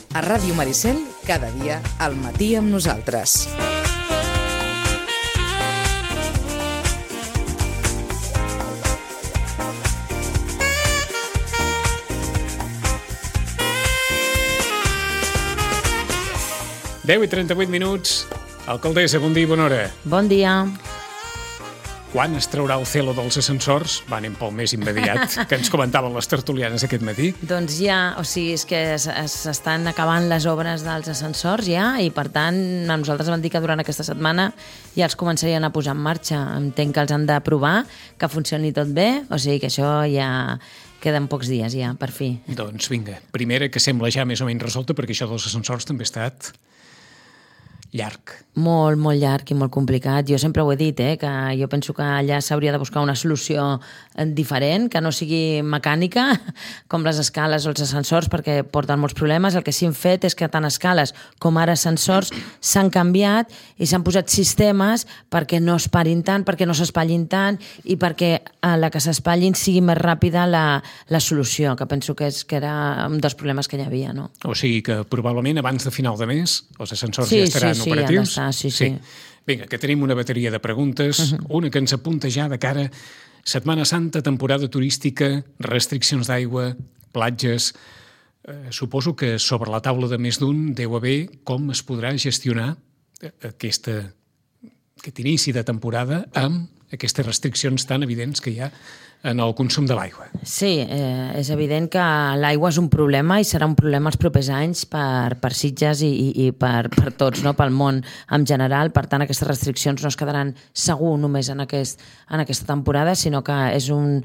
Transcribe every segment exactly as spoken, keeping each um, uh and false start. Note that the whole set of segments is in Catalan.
A Ràdio Maricel, cada dia al matí amb nosaltres. deu i trenta-vuit minuts. Alcaldessa, bon dia i bona hora. Bon dia. Quan es traurà el celo dels ascensors? Va, anem pel més immediat, que ens comentaven les tertulianes aquest matí. Doncs ja, o sigui, és que s'estan acabant les obres dels ascensors ja, i per tant, a nosaltres vam dir que durant aquesta setmana ja els començarien a posar en marxa. Entenc que els han de provar, que funcioni tot bé, o sigui que això ja queden pocs dies ja, per fi. Doncs vinga, primera que sembla ja més o menys resolta, perquè això dels ascensors també ha estat llarg. Molt, molt llarg i molt complicat. Jo sempre ho he dit, eh, que jo penso que allà s'hauria de buscar una solució diferent, que no sigui mecànica, com les escales o els ascensors, perquè porten molts problemes. El que sí hem fet és que tant escales com ara ascensors s'han canviat i s'han posat sistemes perquè no es parin tant, perquè no s'espatllin tant i perquè a la que s'espatllin sigui més ràpida la, la solució, que penso que, és, que era un dels problemes que hi havia, no? O sigui que probablement abans de final de mes els ascensors sí, ja estaran sí, sí, operatius. Ja sí, sí. sí. Vinga, que tenim una bateria de preguntes, uh-huh. una que ens apunta ja de cara Setmana Santa, temporada turística, restriccions d'aigua, platges. Eh, suposo que sobre la taula de més d'un deu haver com es podrà gestionar aquesta, aquest inici de temporada amb aquestes restriccions tan evidents que hi ha en el consum de l'aigua. Sí, eh, és evident que l'aigua és un problema i serà un problema els propers anys per, per Sitges i, i, i per, per tots, no? Pel món en general. Per tant, aquestes restriccions no es quedaran segur només en, aquest, en aquesta temporada, sinó que és, un,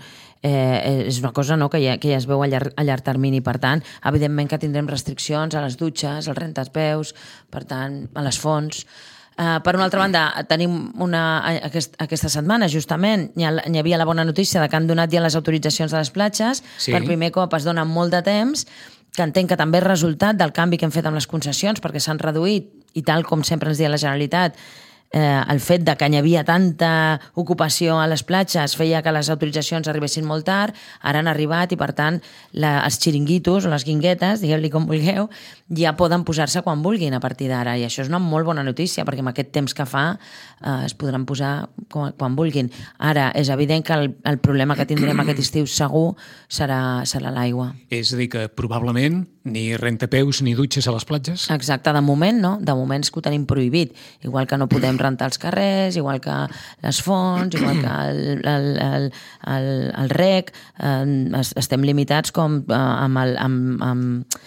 eh, és una cosa, no? que, ja, que ja es veu a llarg, a llarg termini. Per tant, evidentment que tindrem restriccions a les dutxes, als rentapeus, per tant, a les fonts. Uh, per una altra banda, tenim una, aquest, aquesta setmana, justament, hi, ha, hi havia la bona notícia de que han donat ja les autoritzacions de les platges. Sí. Per primer cop es dona molt de temps, que entenc que també és resultat del canvi que hem fet amb les concessions, perquè s'han reduït, i tal com sempre ens deia la Generalitat, eh, el fet de que hi havia tanta ocupació a les platges feia que les autoritzacions arribessin molt tard, ara han arribat i, per tant, la, els xiringuitos o les guinguetes, digueu-li com vulgueu, ja poden posar-se quan vulguin a partir d'ara, i això és una molt bona notícia, perquè amb aquest temps que fa eh, es podran posar quan, quan vulguin. Ara, és evident que el, el problema que tindrem aquest estiu segur serà, serà l'aigua. És a dir, que probablement ni rentapeus ni dutxes a les platges? Exacte, de moment no, de moment és que ho tenim prohibit, igual que no podem rentar els carrers, igual que les fonts, igual que el, el, el, el, el rec, eh, estem limitats com eh, amb el... Amb, amb,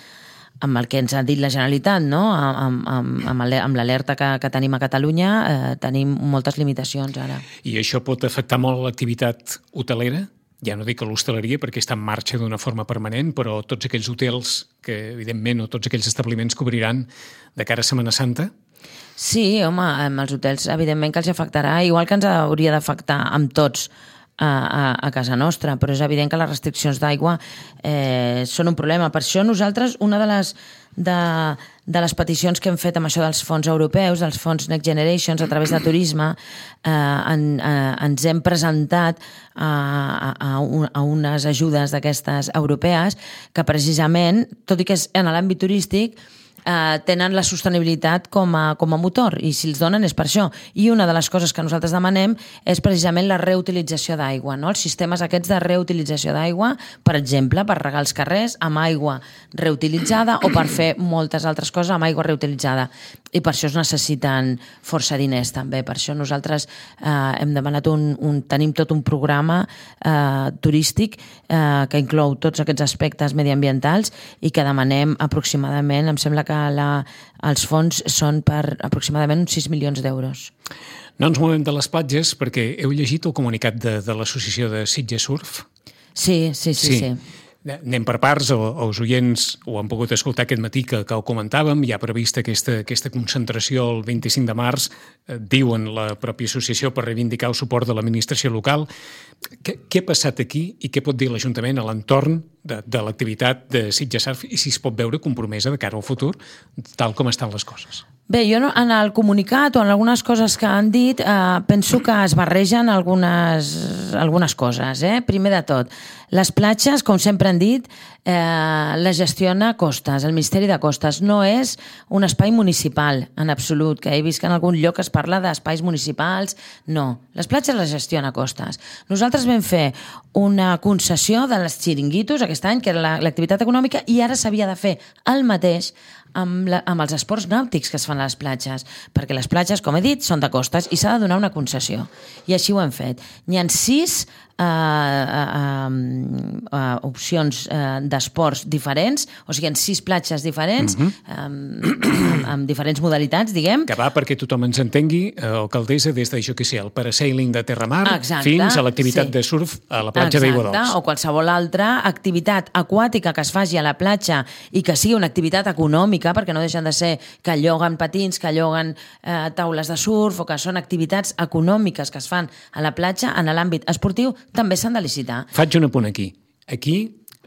amb el que ens ha dit la Generalitat, no? amb, amb, amb, amb l'alerta que, que tenim a Catalunya, eh, tenim moltes limitacions ara. I això pot afectar molt l'activitat hotelera? Ja no dic que l'hostaleria, perquè està en marxa d'una forma permanent, però tots aquells hotels que, evidentment, o tots aquells establiments que obriran de cara a Setmana Santa? Sí, home, amb els hotels, evidentment que els afectarà, igual que ens hauria d'afectar amb tots, A, a, a casa nostra, però és evident que les restriccions d'aigua eh, són un problema. Per això nosaltres, una de les, de, de les peticions que hem fet amb això dels fons europeus, dels fons Next Generations, a través de turisme, eh, en, eh, ens hem presentat a, a, a unes ajudes d'aquestes europees que precisament, tot i que és en l'àmbit turístic, Uh, tenen la sostenibilitat com a, com a motor, i si els donen és per això. I una de les coses que nosaltres demanem és precisament la reutilització d'aigua, no? Els sistemes aquests de reutilització d'aigua, per exemple, per regar els carrers amb aigua reutilitzada o per fer moltes altres coses amb aigua reutilitzada. I per això es necessiten força diners també. Per això nosaltres uh, hem demanat un, un, tenim tot un programa uh, turístic uh, que inclou tots aquests aspectes mediambientals i que demanem aproximadament, em sembla que La, els fons són per aproximadament uns sis milions d'euros. No ens movem de les platges perquè heu llegit el comunicat de, de l'associació de Sitges Surf? Sí, sí, sí, sí. sí. Anem per parts, els oients ho han pogut escoltar aquest matí que, que ho comentàvem, hi ha prevista aquesta, aquesta concentració el vint-i-cinc de març, eh, diuen la pròpia associació, per reivindicar el suport de l'administració local. Què, què ha passat aquí i què pot dir l'Ajuntament a l'entorn de, de l'activitat de Sitges Surf i si es pot veure compromesa de cara al futur, tal com estan les coses? Bé, jo no, en el comunicat o en algunes coses que han dit eh, penso que es barregen algunes, algunes coses. Eh? Primer de tot, les platges, com sempre han dit, eh, la gestiona Costes, el Ministeri de Costes. No és un espai municipal, en absolut, que he vist que en algun lloc es parla d'espais municipals. No, les platges les gestiona Costes. Nosaltres vam fer una concessió de les xiringuitos aquest any, que era l'activitat econòmica, i ara s'havia de fer el mateix amb, la, amb els esports nàutics que es fan a les platges, perquè les platges, com he dit, són de Costes i s'ha de donar una concessió. I així ho hem fet. N'hi ha sis uh, uh, uh, opcions uh, d'esports diferents, o sigui, en sis platges diferents, uh-huh. um, amb, amb diferents modalitats, diguem. Que va perquè tothom ens entengui, eh, alcaldessa, des de, jo què sé, el parasailing de terramar Exacte, fins a l'activitat sí. de surf a la platja d'Aiguadols. Exacte, o qualsevol altra activitat aquàtica que es faci a la platja i que sigui una activitat econòmica, perquè no deixen de ser que lloguen patins, que lloguen eh, taules de surf, o que són activitats econòmiques que es fan a la platja, en l'àmbit esportiu, també s'han de licitar. Faig un apunt aquí. Aquí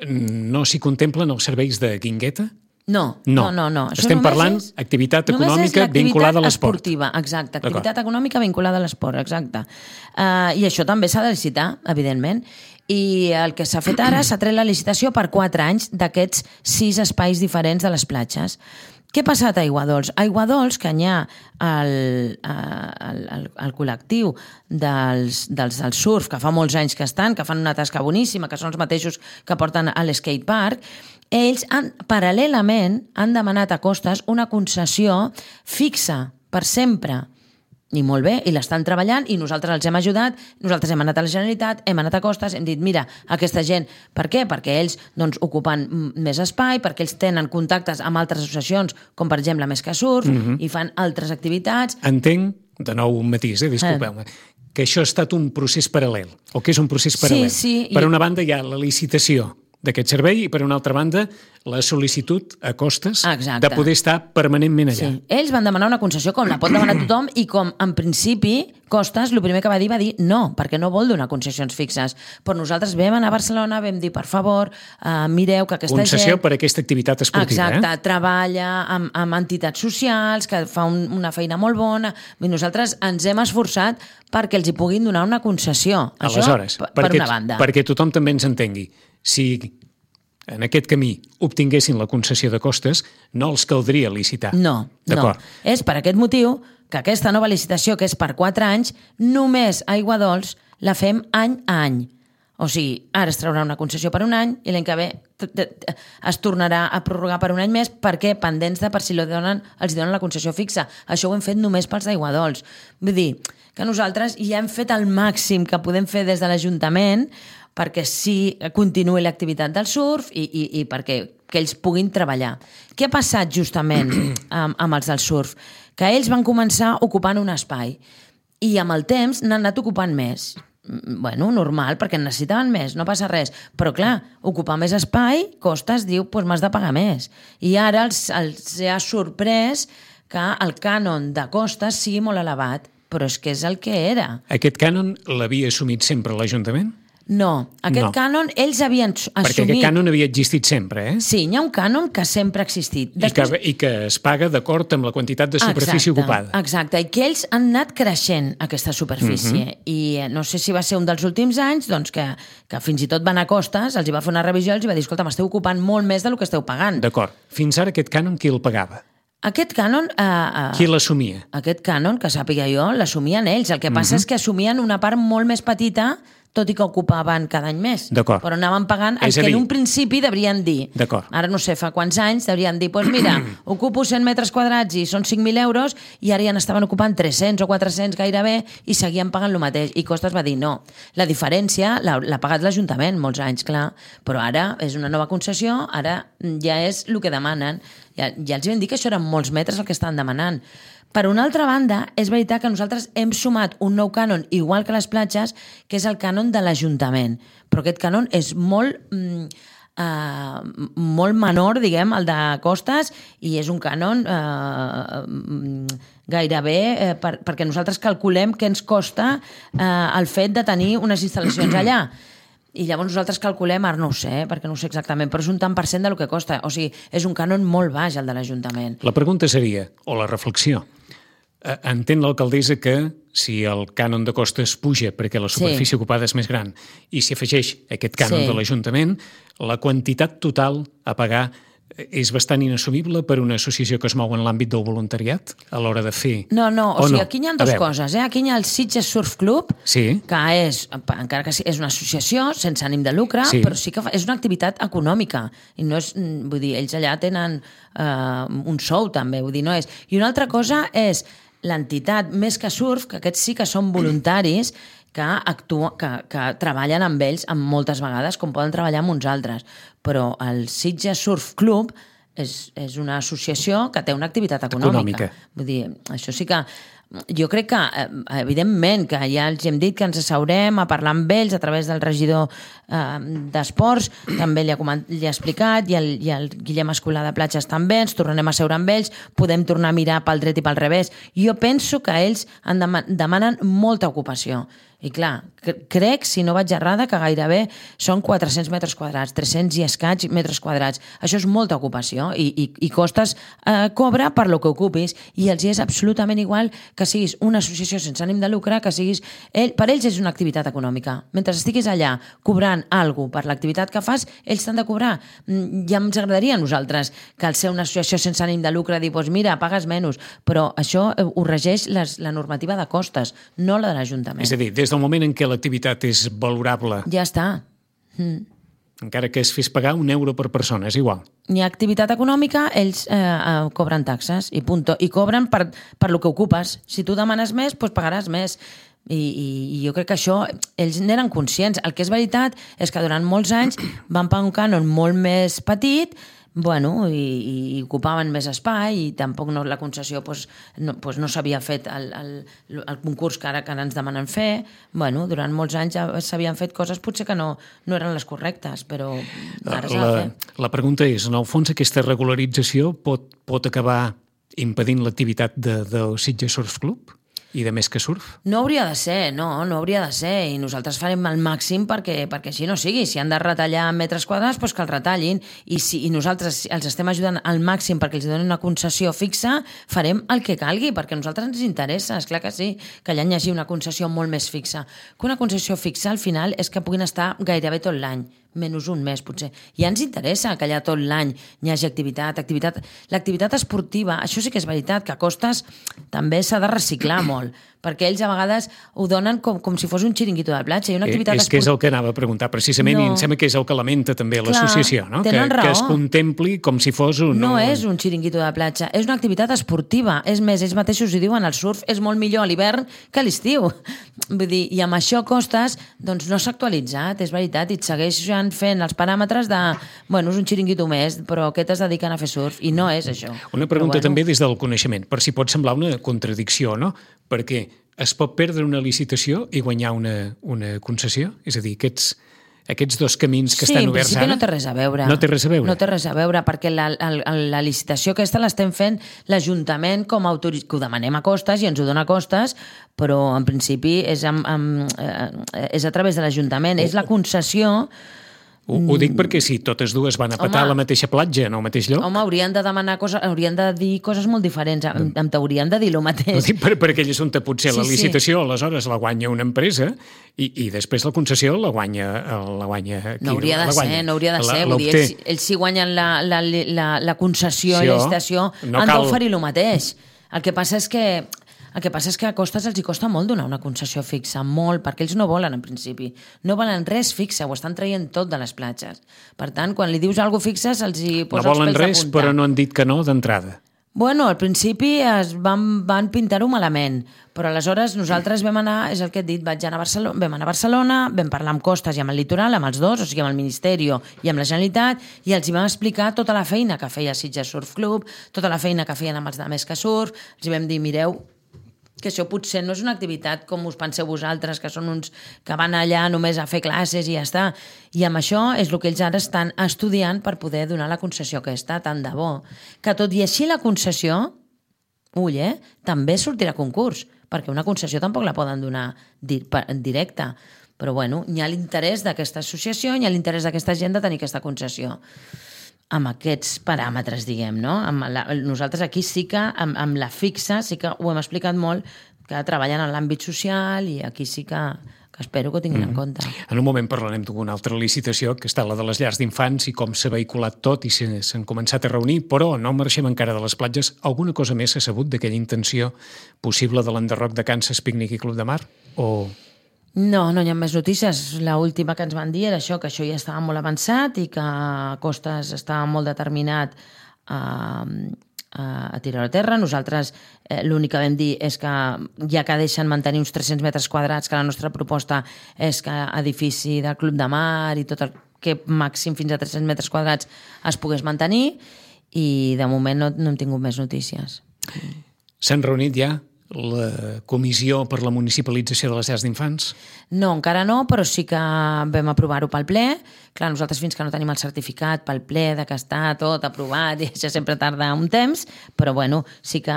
no s'hi contemplen els serveis de guingueta? No, no, no, no. no. Estem parlant és, activitat econòmica vinculada a l'esport. Esportiva, exacte, activitat econòmica vinculada a l'esport, exacte. Uh, I això també s'ha de licitar, evidentment. I el que s'ha fet ara, s'ha tret la licitació per quatre anys d'aquests sis espais diferents de les platges. Què ha passat a Aiguadols? A Aiguadols, que n'hi ha el, el, el, el col·lectiu dels, dels del surf, que fa molts anys que estan, que fan una tasca boníssima, que són els mateixos que porten a l'skatepark, ells han, paral·lelament han demanat a Costes una concessió fixa per sempre. I molt bé, i l'estan treballant, i nosaltres els hem ajudat, nosaltres hem anat a la Generalitat, hem anat a Costes, hem dit, mira, aquesta gent, per què? Perquè ells doncs, ocupen més espai, perquè ells tenen contactes amb altres associacions, com per exemple Més que Surf, mm-hmm. i fan altres activitats. Entenc, de nou un matís, eh? disculpeu-me, eh. que això ha estat un procés paral·lel, o que és un procés paral·lel. Sí, sí. Per I... una banda hi ha la licitació d'aquest servei i, per una altra banda, la sol·licitud a Costes Exacte. de poder estar permanentment allà. Sí. Ells van demanar una concessió com la pot demanar tothom i com, en principi, Costes, el primer que va dir va dir no, perquè no vol donar concessions fixes. Però nosaltres vam anar a Barcelona, vam dir, per favor, uh, mireu que aquesta Concessió gent... Concessió per aquesta activitat esportiva. Exacte, eh? treballa amb, amb entitats socials, que fa un, una feina molt bona. I nosaltres ens hem esforçat perquè els hi puguin donar una concessió. Aleshores, Això, per perquè, una banda. Perquè tothom també ens entengui. Si en aquest camí obtinguessin la concessió de Costes, no els caldria licitar. No, no. És per aquest motiu que aquesta nova licitació, que és per quatre anys, només a Aiguadols la fem any a any. O sigui, ara es traurà una concessió per un any i l'any que ve es tornarà a prorrogar per un any més perquè pendents de per si donen, els donen la concessió fixa. Això ho hem fet només pels d'Aiguadols. Vull dir que nosaltres ja hem fet el màxim que podem fer des de l'Ajuntament perquè sí continuï l'activitat del surf i, i, i perquè que ells puguin treballar. Què ha passat justament amb, amb els del surf? Que ells van començar ocupant un espai i amb el temps n'han anat ocupant més. Bueno, normal, perquè en necessitaven més, no passa res. Però clar, ocupar més espai, Costes diu, doncs m'has de pagar més. I ara els, els ha sorprès que el cànon de Costes sigui molt elevat, però és que és el que era. Aquest cànon l'havia assumit sempre l'Ajuntament? No, aquest no. cànon ells havien assumit... Perquè aquest cànon havia existit sempre, eh? Sí, hi ha un cànon que sempre ha existit. Després... I, que, I que es paga d'acord amb la quantitat de superfície exacte, ocupada. Exacte, i que ells han anat creixent aquesta superfície. Uh-huh. I no sé si va ser un dels últims anys doncs que, que fins i tot van a Costes, els hi va fer una revisió i els va dir, escolta, m'esteu ocupant molt més del que esteu pagant. D'acord. Fins ara aquest cànon qui el pagava? Aquest cànon... Eh, eh, qui l'assumia? Aquest cànon, que sàpiga jo, l'assumien ells. El que passa uh-huh. és que assumien una part molt més petita, tot i que ocupaven cada any més. D'acord. Però anaven pagant el que en un principi deurien dir. D'acord. Ara no sé, fa quants anys deurien dir, doncs pues mira, ocupo cent metres quadrats i són cinc mil euros i ara ja n'estaven ocupant tres-cents o quatre-cents gairebé i seguien pagant el mateix. I Costes va dir no. La diferència l'ha pagat l'Ajuntament molts anys, clar, però ara és una nova concessió, ara ja és el que demanen. Ja, ja els vam dir que això eren molts metres el que estan demanant. Per una altra banda, és veritat que nosaltres hem sumat un nou cànon, igual que les platges, que és el cànon de l'Ajuntament. Però aquest cànon és molt, mm, uh, molt menor, diguem, el de Costes, i és un cànon uh, gairebé uh, per, perquè nosaltres calculem què ens costa uh, el fet de tenir unes instal·lacions allà. I llavors nosaltres calculem, ara no ho sé, perquè no ho sé exactament, però és un tant per cent del que costa. O sigui, és un cànon molt baix, el de l'Ajuntament. La pregunta seria, o la reflexió, entén l'alcaldessa que si el cànon de Costes puja perquè la superfície sí. ocupada és més gran i s'hi afegeix aquest cànon sí. de l'Ajuntament, la quantitat total a pagar és bastant inassumible per una associació que es mou en l'àmbit del voluntariat a l'hora de fer... No, no, o, o sigui, no? Aquí hi ha dues coses. Eh? Aquí hi ha el Sitges Surf Club, sí. que és, encara que és una associació sense ànim de lucre, sí. però sí que és una activitat econòmica. I no és, vull dir, ells allà tenen uh, un sou també, vull dir, no és... I una altra cosa és l'entitat Més que Surf, que aquests sí que són voluntaris, que, actua, que, que treballen amb ells amb moltes vegades, com poden treballar amb uns altres. Però el Sitges Surf Club és, és una associació que té una activitat econòmica. econòmica. Vull dir, això sí que... Jo crec que, evidentment, que ja els hem dit que ens asseurem a parlar amb ells a través del regidor eh, d'Esports, també li ha, coment, li ha explicat, i el, i el Guillem Escolà de Platges també, ens tornarem a seure amb ells, podem tornar a mirar pel dret i pel revés. Jo penso que ells en dem demanen molta ocupació. I clar, crec, si no vaig errada, que gairebé són quatre-cents metres quadrats, tres-cents i escaig metres quadrats. Això és molta ocupació i, i, i costes eh, cobra per lo que ocupis, i els és absolutament igual que siguis una associació sense ànim de lucre, que siguis... Ell, per ells és una activitat econòmica. Mentre estiguis allà cobrant alguna cosa per l'activitat que fas, ells t'han de cobrar. Ja ens agradaria a nosaltres que al ser una associació sense ànim de lucre dir, doncs mira, pagues menys, però això ho regeix les, la normativa de costes, no la de l'Ajuntament. És a dir, des del moment en què l'activitat és valorable... Ja està. Mm. Encara que es fes pagar un euro per persona, és igual. Hi ha activitat econòmica, ells eh, eh, cobren taxes i punto. I cobren per, per lo que ocupes. Si tu demanes més, doncs pagaràs més. I, i, i jo crec que això ells n'eren conscients. El que és veritat és que durant molts anys van pagar un cànon molt més petit, bueno, i, i ocupaven més espai, i tampoc no, la concessió pues, no, pues no s'havia fet el, el, el concurs que ara, que ara ens demanen fer. Bueno, durant molts anys ja s'havien fet coses potser que no, no eren les correctes, però ara s'ha de fer. La pregunta és, en el fons, aquesta regularització pot, pot acabar impedint l'activitat de, del Sitges Surf Club? I de Més que Surf? No hauria de ser, no, no hauria de ser, i nosaltres farem el màxim perquè, perquè així no sigui. Si han de retallar metres quadrats, doncs que els retallin, i, si, i nosaltres els estem ajudant al màxim perquè els donin una concessió fixa, farem el que calgui, perquè a nosaltres ens interessa, és clar que sí, que allà hi hagi una concessió molt més fixa. Que una concessió fixa, al final, és que puguin estar gairebé tot l'any, menys un mes, potser. I ja ens interessa que allà tot l'any hi hagi activitat, activitat... L'activitat esportiva, això sí que és veritat, que a costes també s'ha de reciclar molt, perquè ells a vegades ho donen com, com si fos un xiringuito de platja. I una activitat és esport... que és el que anava a preguntar, precisament, no. I em sembla que és el que lamenta també l'associació, no? Que, que es contempli com si fos un... No és un xiringuito de platja, és una activitat esportiva. És més, ells mateixos hi diuen, el surf és molt millor a l'hivern que a l'estiu. Vull dir, i amb això costes, doncs no s'ha actualitzat, és veritat, i et segueixen fent els paràmetres de, bueno, és un xiringuito més, però què t'has dedicat a fer surf? I no és això. Una pregunta però, bueno... també des del coneixement, per si pot semblar una contradicció, no? Perquè es pot perdre una licitació i guanyar una, una concessió? És a dir, aquests... aquests dos camins que sí, estan oberts ara... Sí, en principi no té res a veure. No té res a veure? No té res a veure, perquè la, la, la licitació aquesta l'estem fent l'Ajuntament com a autorització, que ho demanem a costes i ens ho dona a costes, però en principi és, amb, amb, eh, és a través de l'Ajuntament, és la concessió... Ho, ho dic perquè si totes dues van a petar home, a la mateixa platja, en el mateix lloc... Home, haurien de demanar coses, haurien de dir coses molt diferents, em, em t'haurien de dir el mateix. No dic per, per aquell assumpte, potser sí, la licitació, sí. Aleshores la guanya una empresa i, i després la concessió la guanya... La guanya qui, no hauria de ser, no hauria de la, ser. Vull dir, ells, ells si guanyen la, la, la, la concessió i la licitació no han d'oferir el mateix. El que passa és que... El que passa és que a costes els hi costa molt donar una concessió fixa, molt, perquè ells no volen en principi. No volen res fixa, ho estan traient tot de les platges. Per tant, quan li dius alguna cosa fixa, se'ls hi posa no els pèls de punta. No volen res, però no han dit que no d'entrada. Bueno, al principi es van, van pintar-ho malament, però aleshores nosaltres vam anar, és el que et dit, vaig anar a Barcelona, vam anar a Barcelona, vam parlar amb Costes i amb el Litoral, amb els dos, o sigui, amb el Ministeri i amb la Generalitat, i els hi vam explicar tota la feina que feia Sitges Surf Club, tota la feina que feien amb els de Més que Surf, els hi vam dir, mireu, que això potser no és una activitat com us penseu vosaltres, que són uns que van allà només a fer classes i ja està. I amb això és el que ells ara estan estudiant per poder donar la concessió aquesta, tant de bo. Que tot i així la concessió, ull, eh, també sortirà a concurs, perquè una concessió tampoc la poden donar di- directa. Però bueno, hi ha l'interès d'aquesta associació, hi ha l'interès d'aquesta gent de tenir aquesta concessió. Amb aquests paràmetres, diguem, no? Amb la, nosaltres aquí sí que, amb, amb la fixa, sí que ho hem explicat molt, que treballen en l'àmbit social i aquí sí que, que que espero que ho tinguin mm. en compte. En un moment parlarem d'una altra licitació, que està la de les llars d'infants, i com s'ha vehiculat tot i s'han començat a reunir, però no marxem encara de les platges. Alguna cosa més s'ha sabut d'aquella intenció possible de l'enderroc de Kansas Picnic i Club de Mar? O... No, no hi ha més notícies. L'última que ens van dir era això, que això ja estava molt avançat i que Costas estava molt determinat a, a, a tirar a terra. Nosaltres eh, l'únic que vam dir és que ja que deixen mantenir uns tres-cents metres quadrats, que la nostra proposta és que edifici del Club de Mar i tot el que màxim fins a tres-cents metres quadrats es pogués mantenir, i de moment no, no hem tingut més notícies. S'han reunit ja la comissió per la municipalització de les llars d'infants? No, encara no, però sí que vam aprovar-ho pel ple. Clar, nosaltres fins que no tenim el certificat pel ple de que està tot aprovat, i això sempre tarda un temps, però bueno, sí que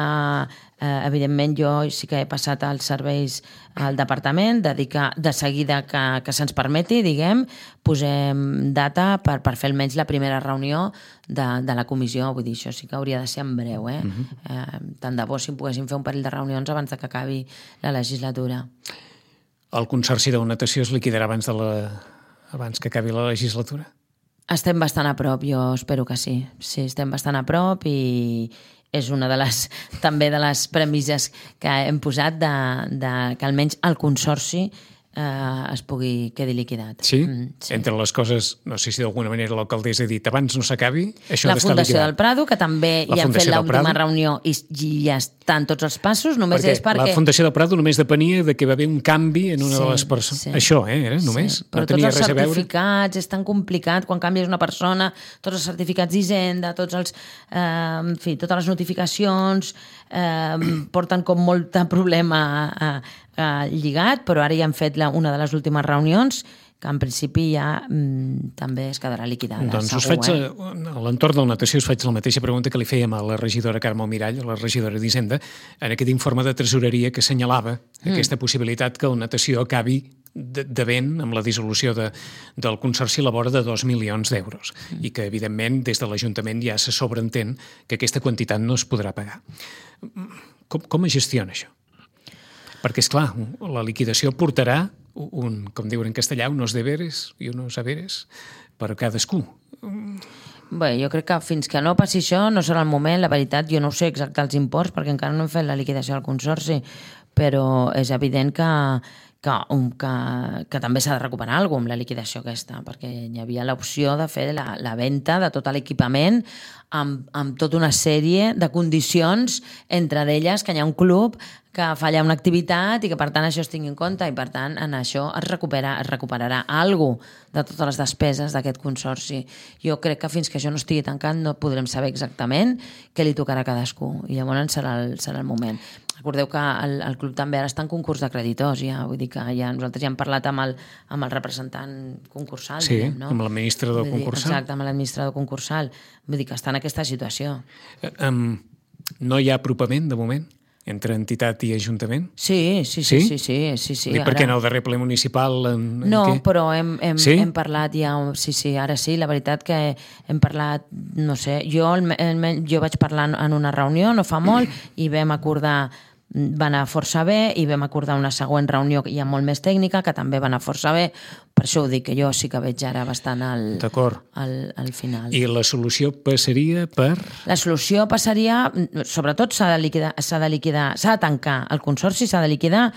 eh, evidentment jo sí que he passat als serveis al departament de dir que de seguida que, que se'ns permeti, diguem, posem data per, per fer almenys la primera reunió de, de la comissió. Vull dir, això sí que hauria de ser en breu, eh? Uh-huh. eh tant de bo si poguéssim fer un parell de reunions abans de que acabi la legislatura. El Consorci de Natació es liquidarà abans, de la... abans que acabi la legislatura? Estem bastant a prop, jo espero que sí. Sí, estem bastant a prop, i és una de les, també de les premisses que hem posat de, de que almenys el Consorci eh, es pugui quedi liquidat. Sí? Mm, sí? Entre les coses, no sé si d'alguna manera l'alcaldessa ha dit abans no s'acabi, això la ha d'estar Fundació liquidat. del Prado, que també la hi han Fundació fet l'última Prado. reunió i, i ja estan tots els passos, només perquè és perquè... La Fundació del Prado només depenia de que va haver un canvi en una sí, de les persones. Sí. Això, eh, era només. Sí. Però no tenia tots els res a veure. certificats és tan complicat quan canvies una persona, tots els certificats d'Hisenda, tots els, eh, en fi, totes les notificacions eh, porten com molt de problema eh, eh, lligat, però ara ja han fet la, una de les últimes reunions que en principi ja mm, també es quedarà liquidada. Doncs segur, us faig, eh? a l'entorn del natació us faig la mateixa pregunta que li fèiem a la regidora Carme Almirall, a la regidora d'Hisenda, en aquest informe de tresoreria que assenyalava mm. aquesta possibilitat que el natació acabi devent amb la dissolució de, del Consorci a la vora de dos milions d'euros mm. i que, evidentment, des de l'Ajuntament ja se sobreentén que aquesta quantitat no es podrà pagar. Com, com es gestiona això? Perquè, és clar, la liquidació portarà un, com diuen en castellà, unos deberes i unos haberes per a cadascú. Bé, jo crec que fins que no passi això no serà el moment. La veritat, jo no sé exacte els imports perquè encara no hem fet la liquidació del Consorci, però és evident que, que, que, que també s'ha de recuperar alguna cosa amb la liquidació aquesta, perquè hi havia l'opció de fer la, la venda de tot l'equipament amb, amb tota una sèrie de condicions, entre d'elles que hi ha un club que falla una activitat i que per tant això es tingui en compte, i per tant en això es, recupera, es recuperarà alguna cosa de totes les despeses d'aquest consorci. Jo crec que fins que això no estigui tancat no podrem saber exactament què li tocarà a cadascú, i llavors serà el, serà el moment. Recordeu que el, el club també ara està en concurs de creditors, ja, vull dir que ja, nosaltres ja hem parlat amb el, amb el representant concursal. Sí, diguem, no? amb l'administrador concursal. Exacte, amb l'administrador concursal. Vull dir que està en aquesta situació. Eh, um, no hi ha apropament, de moment, entre entitat i ajuntament? Sí, sí, sí, sí, sí, sí, sí. Dic, perquè en el darrer ple municipal... En, en no, què? però hem, hem, sí? hem parlat ja... Sí, sí, ara sí, la veritat que hem parlat, no sé, jo, el, el, jo vaig parlar en una reunió no fa molt i vam acordar, va anar força bé, i vam acordar una següent reunió ja molt més tècnica, que també va anar força bé. Per això ho dic, que jo sí que veig ara bastant al, al, al final. I la solució passaria per... La solució passaria, sobretot s'ha de liquidar, s'ha de liquidar, s'ha de tancar el consorci, s'ha de liquidar,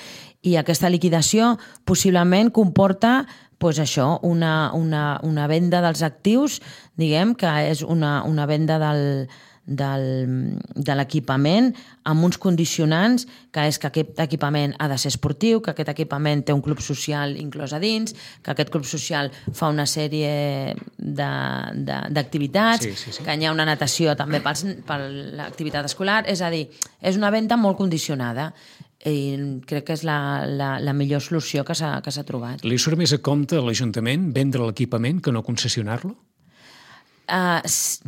i aquesta liquidació possiblement comporta pues això, una, una, una venda dels actius, diguem que és una, una venda del... Del, de l'equipament amb uns condicionants, que és que aquest equipament ha de ser esportiu, que aquest equipament té un club social inclòs a dins, que aquest club social fa una sèrie d'activitats, sí, sí, sí. que hi ha una natació també per l'activitat escolar, és a dir, és una venda molt condicionada, i crec que és la, la, la millor solució que s'ha que s'ha trobat. Li surt més a compte a l'Ajuntament vendre l'equipament que no concessionar-lo? Uh,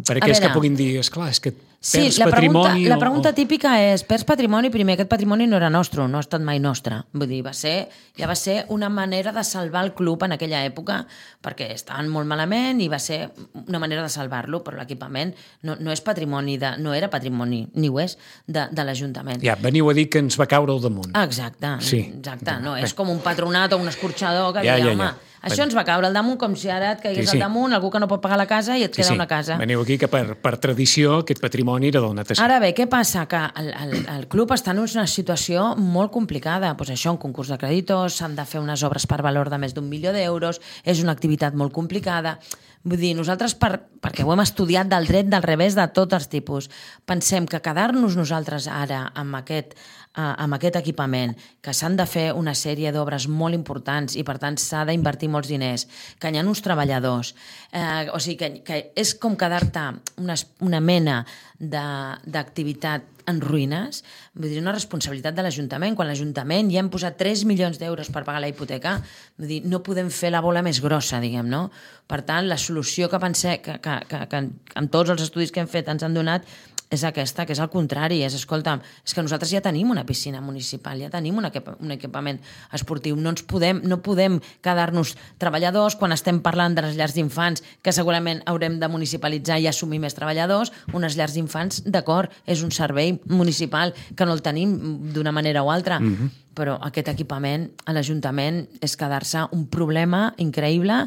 per aquells que puguin dir, esclar, és que Sí, perds la pregunta, patrimoni... la o- pregunta o... típica és, perds patrimoni? Primer, aquest patrimoni no era nostre, no ha estat mai nostre. Vull dir, va ser, ja va ser una manera de salvar el club en aquella època, perquè estaven molt malament i va ser una manera de salvar-lo, però l'equipament no, no és patrimoni, de, no era patrimoni, ni ho és, de, de l'Ajuntament. Ja, veniu a dir que ens va caure al damunt. Ah, exacte, Sí. exacte. No, Bé. és com un patronat o un escorxador que Ja, ja, ja, home, ja. això ens va caure al damunt com si ara et caigués Sí, sí. al damunt algú que no pot pagar la casa i et Sí, queda sí. una casa. Veniu aquí que per, per tradició aquest patrimoni era del natació. Ara bé, què passa? Que el, el, el club està en una situació molt complicada. Pues això, un concurs de creditors, s'han de fer unes obres per valor de més d'un milió d'euros, és una activitat molt complicada. Vull dir, nosaltres, per, perquè ho hem estudiat del dret del revés de tots els tipus, pensem que quedar-nos nosaltres ara amb aquest, uh, amb aquest equipament, que s'han de fer una sèrie d'obres molt importants i, per tant, s'ha d'invertir molts diners, que hi ha uns treballadors, eh, o sigui, que, que és com quedar-te una, una mena d'activitat en ruïnes, vull dir, una responsabilitat de l'Ajuntament. Quan l'Ajuntament ja hem posat tres milions d'euros per pagar la hipoteca, vull dir, no podem fer la bola més grossa, diguem, no? Per tant, la solució que pensem, que, que, que, que amb tots els estudis que hem fet ens han donat, és aquesta, que és el contrari, és, escolta, és que nosaltres ja tenim una piscina municipal, ja tenim un, equip un equipament esportiu, no ens podem, no podem quedar-nos treballadors quan estem parlant de les llars d'infants, que segurament haurem de municipalitzar i assumir més treballadors, unes llars d'infants, d'acord, és un servei municipal que no el tenim d'una manera o altra, mm-hmm. però aquest equipament a l'Ajuntament és quedar-se un problema increïble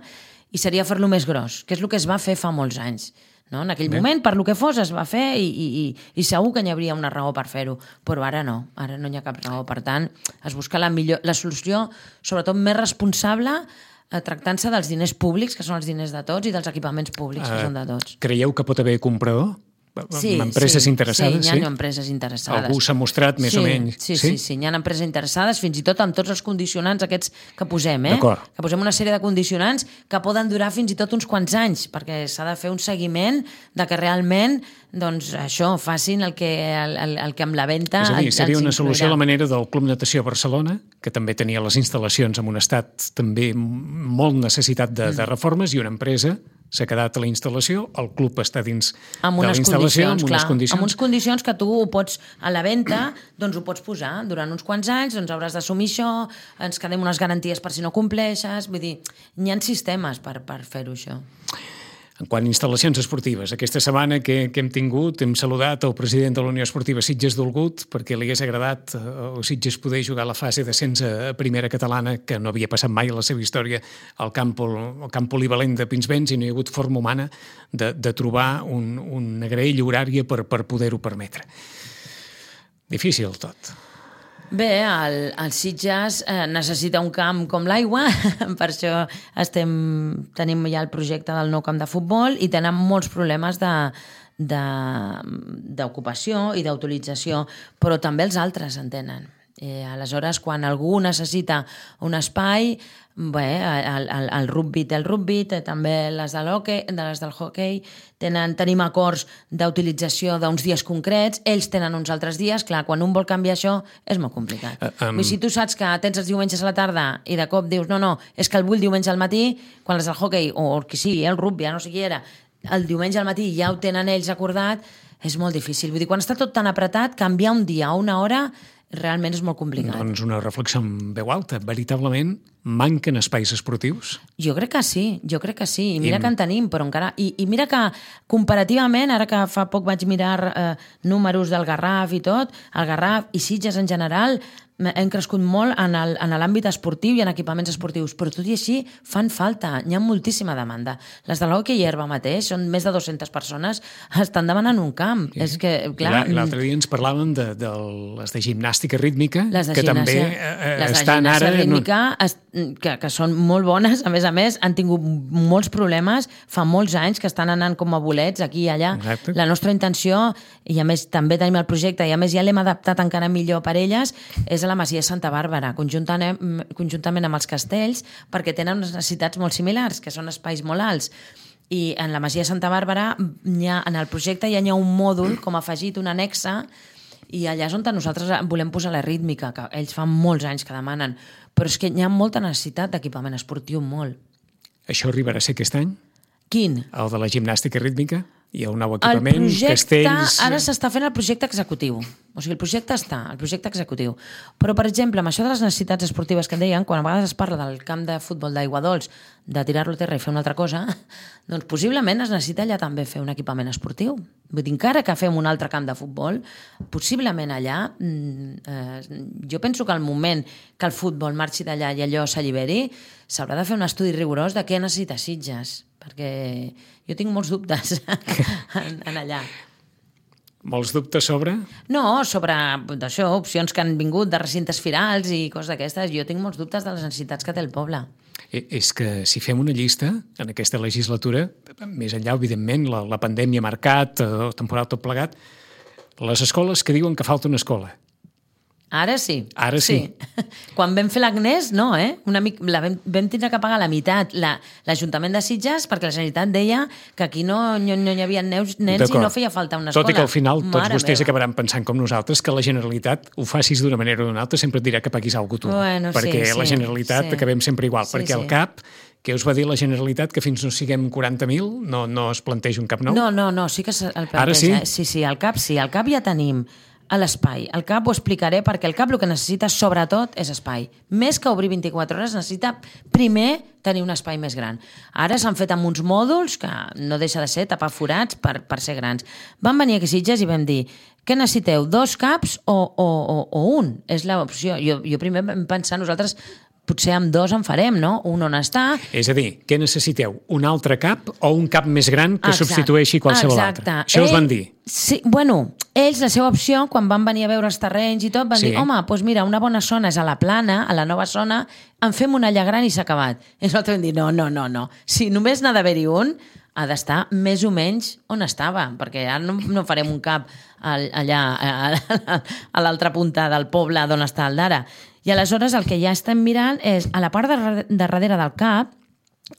i seria fer-lo més gros, que és el que es va fer fa molts anys. No? En aquell Bé. moment, per lo que fos, es va fer i, i, i segur que n'hi hauria una raó per fer-ho, però ara no, ara no hi ha cap raó. Per tant, es busca la, millor, la solució, sobretot més responsable, eh, tractant-se dels diners públics, que són els diners de tots, i dels equipaments públics, uh, que són de tots. Creieu que pot haver comprador? Sí, empreses sí, interessades? Sí, hi ha sí? empreses interessades. Algú s'ha mostrat més sí, o menys? Sí, sí, sí, sí, hi ha empreses interessades, fins i tot amb tots els condicionants aquests que posem, eh? Que posem una sèrie de condicionants que poden durar fins i tot uns quants anys, perquè s'ha de fer un seguiment de que realment doncs això, facin el que, el, el, el que amb la venda... És a dir, seria una solució a la inclourà. manera del Club Natació Barcelona, que també tenia les instal·lacions en un estat també molt necessitat de, mm. de reformes, i una empresa s'ha quedat a la instal·lació, el club està dins amb de la instal·lació, amb unes clar, condicions. Amb unes condicions que tu ho pots, a la venda, doncs ho pots posar. Durant uns quants anys doncs hauràs d'assumir això, ens quedem unes garanties per si no compleixes, vull dir, hi ha sistemes per, per fer-ho, això. En quant a instal·lacions esportives, aquesta setmana que, que hem tingut, hem saludat el president de la Unió Esportiva Sitges Dolgut perquè li hagués agradat a Sitges poder jugar la fase d'ascens a primera catalana, que no havia passat mai a la seva història al camp, al camp polivalent de Pinsbens, i no hi ha hagut forma humana de, de trobar un, una graella horària per, per poder-ho permetre. Difícil tot. Bé, el, el Sitges eh, necessita un camp com l'aigua, per això estem, tenim ja el projecte del nou camp de futbol i tenen molts problemes de d'ocupació i d'utilització, però també els altres en tenen. Eh, aleshores, quan algú necessita un espai, bé, el, el, el rugby té el rugby, té també les, de l'hoquei, de les del hoquei, tenen, tenim acords d'utilització d'uns dies concrets, ells tenen uns altres dies, clar, quan un vol canviar això és molt complicat. Uh, um... Si tu saps que tens els diumenges a la tarda i de cop dius, no, no, és que el vull diumenge al matí, quan les del hoquei, o el que sigui, el rugby, ja no sé qui era, el diumenge al matí ja ho tenen ells acordat, és molt difícil. Vull dir, quan està tot tan apretat, canviar un dia o una hora realment és molt complicat. Doncs una reflexió en veu alta. Veritablement manquen espais esportius? Jo crec que sí, jo crec que sí. I mira I... que en tenim, però encara... I, I mira que comparativament, ara que fa poc vaig mirar eh, números del Garraf i tot, el Garraf i Sitges en general hem crescut molt en l'àmbit esportiu i en equipaments esportius, però tot i així fan falta, hi ha moltíssima demanda. Les de l'hoquei i herba mateix, són més de dues-centes persones, estan demanant un camp. Sí. És que, clar... L'altre dia ens parlàvem de, de les de gimnàstica rítmica, les de que gimnàsia, també eh, les de estan ara... rítmica, es, que, que són molt bones, a més a més, han tingut molts problemes, fa molts anys que estan anant com a bolets aquí i allà. Exacte. La nostra intenció, i a més també tenim el projecte, i a més ja l'hem adaptat encara millor per elles, és a la Masia Santa Bàrbara, conjuntament, conjuntament amb els castells, perquè tenen unes necessitats molt similars, que són espais molt alts. I en la Masia Santa Bàrbara, ha, en el projecte ja hi ha un mòdul com afegit, un anexa, i allà és on nosaltres volem posar la rítmica, que ells fa molts anys que demanen, però és que hi ha molta necessitat d'equipament esportiu, molt. Això arribarà a ser aquest any? Quin? El de la gimnàstica rítmica? hi ha un nou equipament, el projecte, castells... Ara s'està fent el projecte executiu. O sigui, el projecte està, el projecte executiu. Però, per exemple, amb això de les necessitats esportives que en deien, quan a vegades es parla del camp de futbol d'Aigua Dols, de tirar-lo a terra i fer una altra cosa, doncs possiblement es necessita allà també fer un equipament esportiu. Vull dir, encara que fem un altre camp de futbol, possiblement allà, eh, jo penso que al moment que el futbol marxi d'allà i allò s'alliberi, s'haurà de fer un estudi rigorós de què necessita Sitges, perquè jo tinc molts dubtes en, en allà. Molts dubtes sobre? No, sobre això, opcions que han vingut de recintes firals i coses d'aquestes. Jo tinc molts dubtes de les necessitats que té el poble. És que si fem una llista en aquesta legislatura, més enllà, evidentment, la, la pandèmia ha marcat, el temporal tot plegat, les escoles que diuen que falta una escola. Ara sí. Ara sí. sí. Quan vam fer l'Agnès, no, eh? Una mica, la vam, vam tindre que pagar la meitat l'Ajuntament de Sitges perquè la Generalitat deia que aquí no, no, no hi havia nens, nens i no feia falta una escola. Tot i que al final tots Mare vostès meva. acabaran pensant com nosaltres que la Generalitat ho facis d'una manera o d'una altra sempre et dirà que paguis alguna cosa tu. Bueno, perquè sí, la sí, Generalitat sí. acabem sempre igual. Sí, perquè sí. el C A P, que us va dir la Generalitat que fins no siguem quaranta mil no, no es planteja un cap nou? No, no, no, sí que el planteja. Ara sí? Eh? Sí, sí, el CAP sí. El CAP ja tenim a l'espai. El CAP ho explicaré perquè el CAP el que necessita sobretot és espai. Més que obrir vint-i-quatre hores necessita primer tenir un espai més gran. Ara s'han fet amb uns mòduls que no deixa de ser tapar forats per, per ser grans. Vam venir aquí a Sitges i vam dir què necessiteu, dos CAPs o, o, o, o un? És l'opció. Jo, jo primer vam pensar nosaltres potser amb dos en farem, no? Un on està... És a dir, què necessiteu? Un altre cap o un cap més gran que Exacte. substitueixi qualsevol Exacte. altre? Això us van dir? Sí, bueno, ells, la seva opció, quan van venir a veure els terrenys i tot, van Sí. dir, home, doncs mira, una bona zona és a la plana, a la nova zona, en fem una allà gran i s'ha acabat. I nosaltres vam dir, no, no, no, no. Si només n'ha d'haver-hi un, ha d'estar més o menys on estava, perquè ara no, no farem un cap allà a, a l'altra punta del poble d'on està el d'ara. I aleshores el que ja estem mirant és a la part de, de darrere del CAP,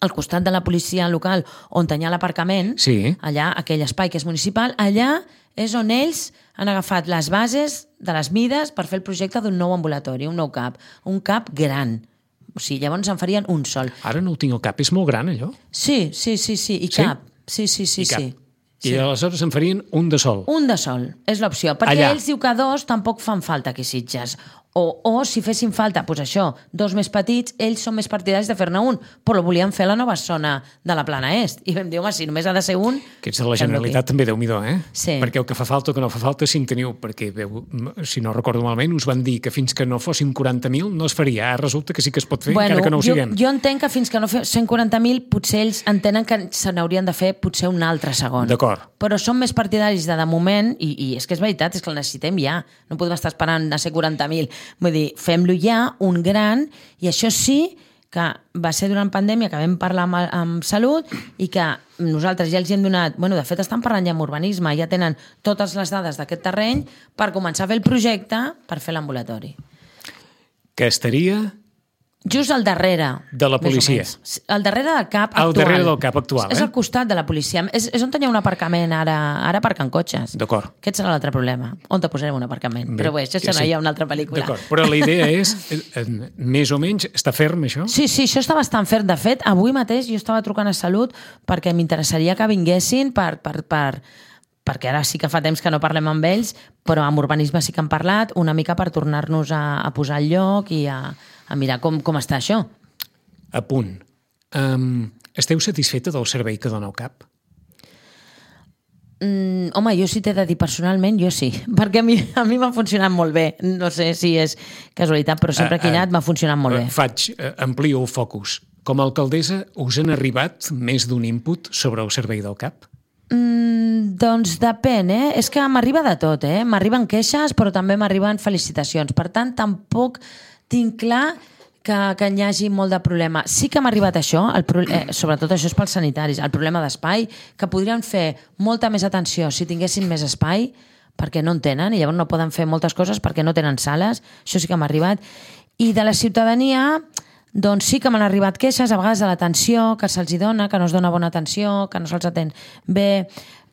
al costat de la policia local on hi ha l'aparcament, Sí. allà, aquell espai que és municipal, allà és on ells han agafat les bases de les mides per fer el projecte d'un nou ambulatori, un nou CAP, un CAP gran. O sigui, llavors en farien un sol. Ara no ho tinc al cap, és molt gran allò? Sí, sí, sí, sí, i Sí? cap. Sí, sí, sí, I cap. sí. I aleshores en farien un de sol. Un de sol, és l'opció. Perquè Allà. ells diu que dos tampoc fan falta aquí a Sitges. O, o si fessin falta, doncs això, dos més petits, ells són més partidaris de fer-ne un, però volien fer la nova zona de la plana est. I vam dir, home, si només ha de ser un... Que ets de la Generalitat també, Déu-n'hi-do, eh? Sí. Perquè el que fa falta o que no fa falta sí en teniu, perquè, veu, si no recordo malament, us van dir que fins que no fossin quaranta mil no es faria. Ara resulta que sí que es pot fer, Bueno, encara que no ho jo, siguem. jo entenc que fins que no fem cent quaranta mil potser ells entenen que se n'haurien de fer potser un altre segon. D'acord. Però són més partidaris de de moment, i, i és que és veritat, és que el necessitem ja. No podem estar esperant a ser quaranta mil. Vull dir, fem-lo ja, un gran, i això sí que va ser durant pandèmia que vam parlar amb, amb Salut i que nosaltres ja els hi hem donat... Bueno, de fet, estan parlant ja amb urbanisme, ja tenen totes les dades d'aquest terreny per començar a fer el projecte per fer l'ambulatori. Que estaria Just al darrere. de la més o policia. menys. Al darrere del CAP Al actual. darrere del CAP actual, És eh? al costat de la policia. És, és on hi ha un aparcament ara, ara aparcant cotxes. D'acord. Aquest serà l'altre problema. On te posarem un aparcament? Bé, Però bé, això serà sí. ja una altra pel·lícula. D'acord, però la idea és, eh, eh, més o menys, està ferm, això? Sí, sí, això està bastant ferm. De fet, avui mateix jo estava trucant a Salut perquè m'interessaria que vinguessin per, per, per, perquè ara sí que fa temps que no parlem amb ells, però amb urbanisme sí que han parlat, una mica per tornar-nos a, a posar al lloc i a, a mirar com, com està això. A punt. Um, esteu satisfeta del servei que dona el CAP? Mm, home, jo sí t'he de dir personalment, jo sí, perquè a mi a mi m'ha funcionat molt bé. No sé si és casualitat, però sempre que he anat m'ha funcionat molt bé. Faig, eh, amplio el focus. Com a alcaldessa, us han arribat més d'un input sobre el servei del CAP? Mm, doncs depèn, eh? És que m'arriba de tot, eh? M'arriben queixes, però també m'arriben felicitacions. Per tant, tampoc tinc clar que, que hi hagi molt de problema. Sí que m'ha arribat això, el, eh, sobretot això és pels sanitaris, el problema d'espai, que podrien fer molta més atenció si tinguessin més espai, perquè no en tenen, i llavors no poden fer moltes coses perquè no tenen sales. Això sí que m'ha arribat. I de la ciutadania, doncs sí que m'han arribat queixes, a vegades de l'atenció que se'ls hi dona, que no es dona bona atenció, que no se'ls atén bé,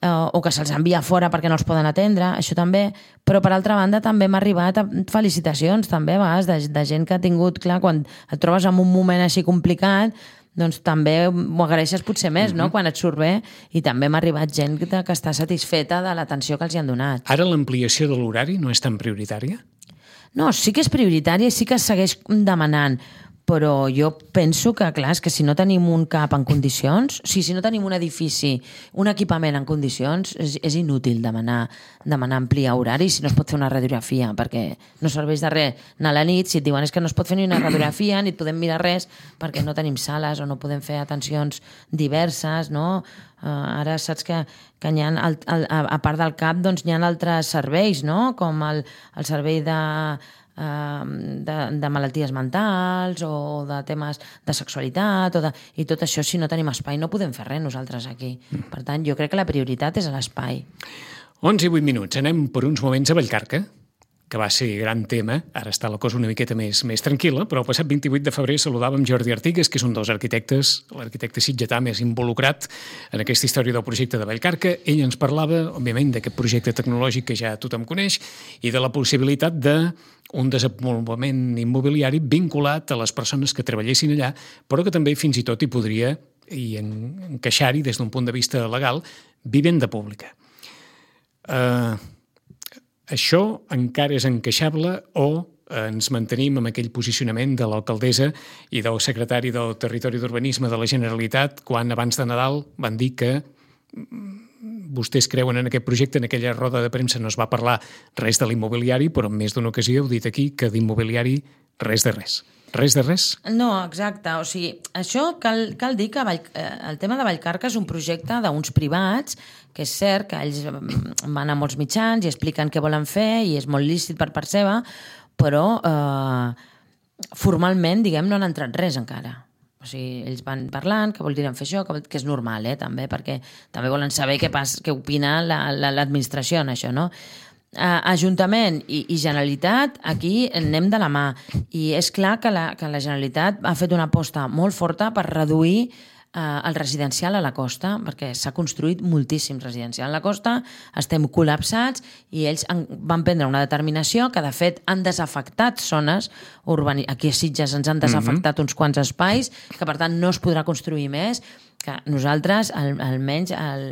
eh, o que se'ls envia fora perquè no els poden atendre, això també. Però, per altra banda, també m'ha arribat felicitacions, també, a vegades, de, de gent que ha tingut, clar, quan et trobes en un moment així complicat, doncs també ho agraeixes potser més, no?, quan et surt bé, i també m'ha arribat gent que està satisfeta de l'atenció que els hi han donat. Ara l'ampliació de l'horari no és tan prioritària? No, sí que és prioritària i sí que es segueix demanant, però jo penso que, clar, és que si no tenim un CAP en condicions, o sigui, si no tenim un edifici, un equipament en condicions, és, és inútil demanar, demanar ampliar horari si no es pot fer una radiografia, perquè no serveix de res anar a la nit si et diuen és que no es pot fer ni una radiografia ni et podem mirar res perquè no tenim sales o no podem fer atencions diverses, no? Uh, ara saps que, que hi ha, el, el, a part del CAP, doncs hi ha altres serveis, no?, com el, el servei de... De, de malalties mentals o de temes de sexualitat o de, i tot això, si no tenim espai no podem fer res nosaltres aquí. Per tant, jo crec que la prioritat és l'espai. onze i vuit minuts, anem per uns moments a Vallcarca, que va ser gran tema. Ara està la cosa una miqueta més, més tranquil·la, però el passat vint-i-vuit de febrer saludàvem Jordi Artigues, que és un dels arquitectes, l'arquitecte sitgetà més involucrat en aquesta història del projecte de Vallcarca. Ell ens parlava, òbviament, d'aquest projecte tecnològic que ja tothom coneix i de la possibilitat d'un desenvolupament immobiliari vinculat a les persones que treballessin allà, però que també fins i tot hi podria i encaixar-hi des d'un punt de vista legal vivenda pública. Eh... Uh, Això encara és encaixable o ens mantenim amb aquell posicionament de l'alcaldessa i del secretari del Territori d'Urbanisme de la Generalitat quan abans de Nadal van dir que vostès creuen en aquest projecte? En aquella roda de premsa no es va parlar res de l'immobiliari, però en més d'una ocasió heu dit aquí que d'immobiliari res de res. Res de res? No, exacte. O sigui, això cal, cal dir que Vall, el tema de Vallcarca és un projecte d'uns privats, que és cert que ells van a molts mitjans i expliquen què volen fer i és molt lícit per part seva, però eh, formalment, diguem, no han entrat res encara. O sigui, ells van parlant, que voldrien fer això, que, que és normal, eh, també, perquè també volen saber què, pas, què opina la, la, l'administració en això, no? Uh, Ajuntament i, i Generalitat, aquí anem de la mà. I és clar que la, que la Generalitat ha fet una aposta molt forta per reduir uh, el residencial a la costa, perquè s'ha construït moltíssim residencial a la costa, estem col·lapsats i ells han, van prendre una determinació que de fet han desafectat zones urbanitzades. Aquí a Sitges ens han desafectat mm-hmm. uns quants espais, que per tant no es podrà construir més, que nosaltres, al, almenys el,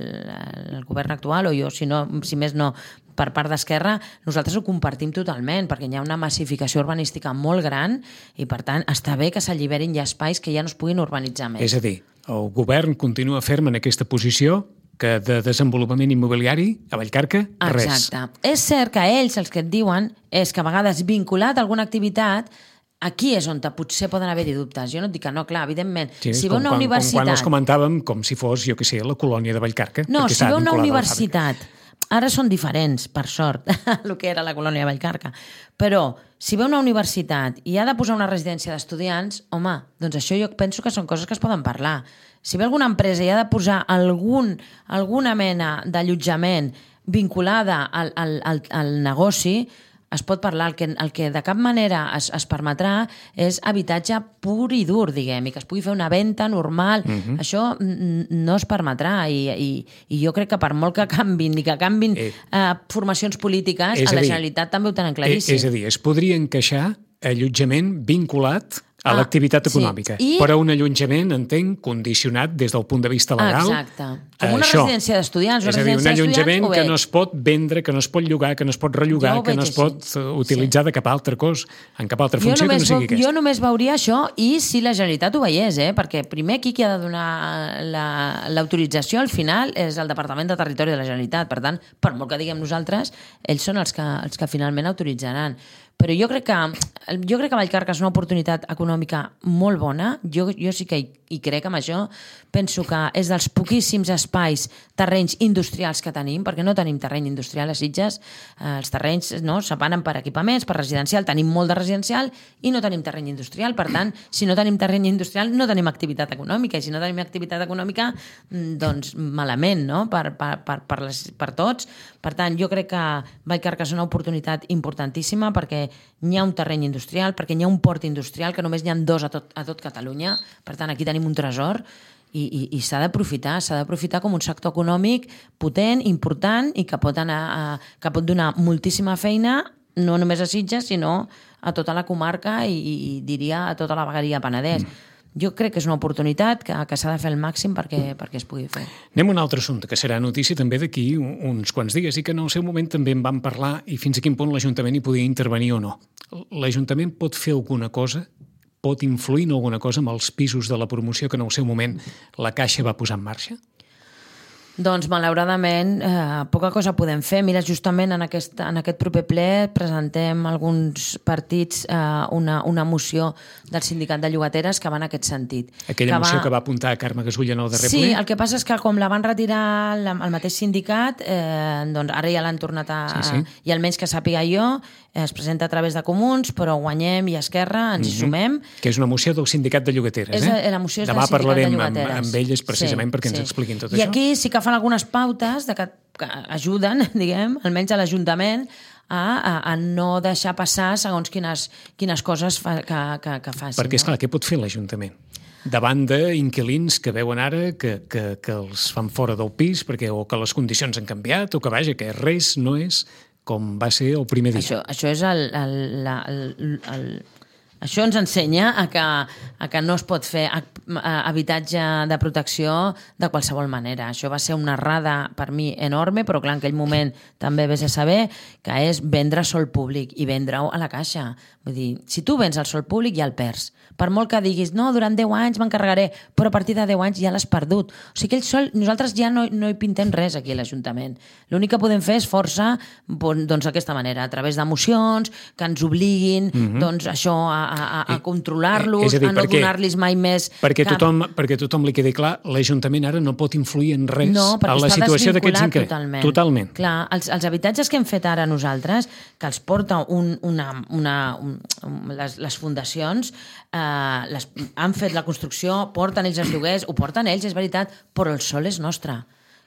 el govern actual, o jo, si, no, si més no, per part d'Esquerra, nosaltres ho compartim totalment, perquè hi ha una massificació urbanística molt gran i, per tant, està bé que s'alliberin ja espais que ja no es puguin urbanitzar més. És a dir, el govern continua ferm en aquesta posició que de desenvolupament immobiliari a Vallcarca, res. Exacte. És cert que ells, els que et diuen, és que a vegades vinculat a alguna activitat, aquí és on potser poden haver-hi dubtes. Jo no et dic que no, clar, evidentment. Sí, si ve una quan, universitat... quan els comentàvem com si fos, jo què sé, la colònia de Vallcarca. No, si ve una universitat... Ara són diferents, per sort, el que era la colònia de Vallcarca. Però, si ve una universitat i ha de posar una residència d'estudiants, home, doncs això jo penso que són coses que es poden parlar. Si ve alguna empresa i ha de posar algun, alguna mena d'allotjament vinculada al, al, al, al negoci, es pot parlar. El que, el que de cap manera es, es permetrà és habitatge pur i dur, diguem, i que es pugui fer una venda normal. Uh-huh. Això no es permetrà i, i, i jo crec que per molt que canvin i que canvin eh, eh, formacions polítiques, a la dir, Generalitat també ho tenen claríssim. Eh, és a dir, es podria encaixar allotjament vinculat a ah, l'activitat econòmica, sí. I... però un allotjament, entenc, condicionat des del punt de vista legal. Exacte. Com una això. residència d'estudiants. És a dir, un allotjament que no es pot vendre, que no es pot llogar, que no es pot rellogar, que no es pot així. utilitzar sí. de cap altra cosa, en cap altra funció que no sigui aquesta. Jo només veuria això i si la Generalitat ho veiés, eh? Perquè primer aquí qui ha de donar l'autorització la, al final és el Departament de Territori de la Generalitat. Per tant, per molt que diguem nosaltres, ells són els que, els que finalment autoritzaran. Però jo crec que jo crec que Vallcarca és una oportunitat econòmica molt bona. Jo, jo sí que hi, hi crec amb això. Penso que és dels poquíssims espais, terrenys industrials que tenim, perquè no tenim terreny industrial a Sitges. Eh, els terrenys no, separen per equipaments, per residencial. Tenim molt de residencial i no tenim terreny industrial. Per tant, si no tenim terreny industrial, no tenim activitat econòmica. I si no tenim activitat econòmica, doncs malament, no? Per, per, per, per, les, per tots. Per tant, jo crec que Vallcarca és una oportunitat importantíssima perquè n'hi ha un terreny industrial, perquè n'hi ha un port industrial, que només n'hi ha dos a tot, a tot Catalunya. Per tant, aquí tenim un tresor i, i, i s'ha d'aprofitar, s'ha d'aprofitar com un sector econòmic potent, important i que pot, anar a, que pot donar moltíssima feina, no només a Sitges, sinó a tota la comarca i, i diria a tota la vegueria Penedès. Mm. jo crec que és una oportunitat que, que s'ha de fer el màxim perquè, perquè es pugui fer. Anem a un altre assumpte, que serà notícia també d'aquí uns quants dies i que en el seu moment també en vam parlar i fins a quin punt l'Ajuntament hi podia intervenir o no. L'Ajuntament pot fer alguna cosa, pot influir en alguna cosa amb els pisos de la promoció que en el seu moment la Caixa va posar en marxa? Doncs, malauradament, eh, poca cosa podem fer. Mira, justament en aquest, en aquest proper ple presentem alguns partits eh, una, una moció del sindicat de llogateres que va en aquest sentit. Aquella que moció va... que va apuntar a Carme Gasull en el darrer sí, ple? Sí, el que passa és que com la van retirar la, el mateix sindicat, eh, doncs ara ja l'han tornat a... Sí, sí. I almenys que sàpiga jo, eh, es presenta a través de Comuns, però Guanyem i Esquerra ens hi mm-hmm. sumem. Que és una moció del sindicat de llogateres, és, eh? La moció és Demà del sindicat de llogateres. Demà parlarem amb, amb elles precisament sí, perquè sí. ens expliquin tot I això. I aquí sí que fan algunes pautes de que, que ajuden, diguem, almenys a l'Ajuntament, a, a, a no deixar passar segons quines, quines coses fa, que, que, que facin. Perquè, esclar, no? Què pot fer l'Ajuntament? Davant d'inquilins que veuen ara que, que, que els fan fora del pis perquè o que les condicions han canviat o que, vaja, que res no és com va ser el primer dia. Això, això és el... el, la, el, el Això ens ensenya a que, a que no es pot fer habitatge de protecció de qualsevol manera. Això va ser una errada per mi enorme, però clar, en aquell moment també vés a saber que és vendre sol públic i vendre-ho a la Caixa. Vull dir, si tu vens el sol públic ja el perds. Per molt que diguis, no, durant deu anys m'encarregaré, però a partir de deu anys ja l'has perdut. O sigui, aquell sol, nosaltres ja no, no hi pintem res aquí a l'Ajuntament. L'únic que podem fer és força doncs d'aquesta manera, a través de mocions que ens obliguin mm-hmm. doncs això a, a, a controlar-los, a, dir, a no donar-los mai més perquè cap... tothom, perquè tothom li quedi clar, l'Ajuntament ara no pot influir en res no, a la situació d'aquests increments. Totalment. totalment. Clar, els, els habitatges que hem fet ara nosaltres, que els porta un, una, una, un, les, les fundacions, eh, les, han fet la construcció, porten ells els lloguers, ho porten ells, és veritat, però el sol és nostre.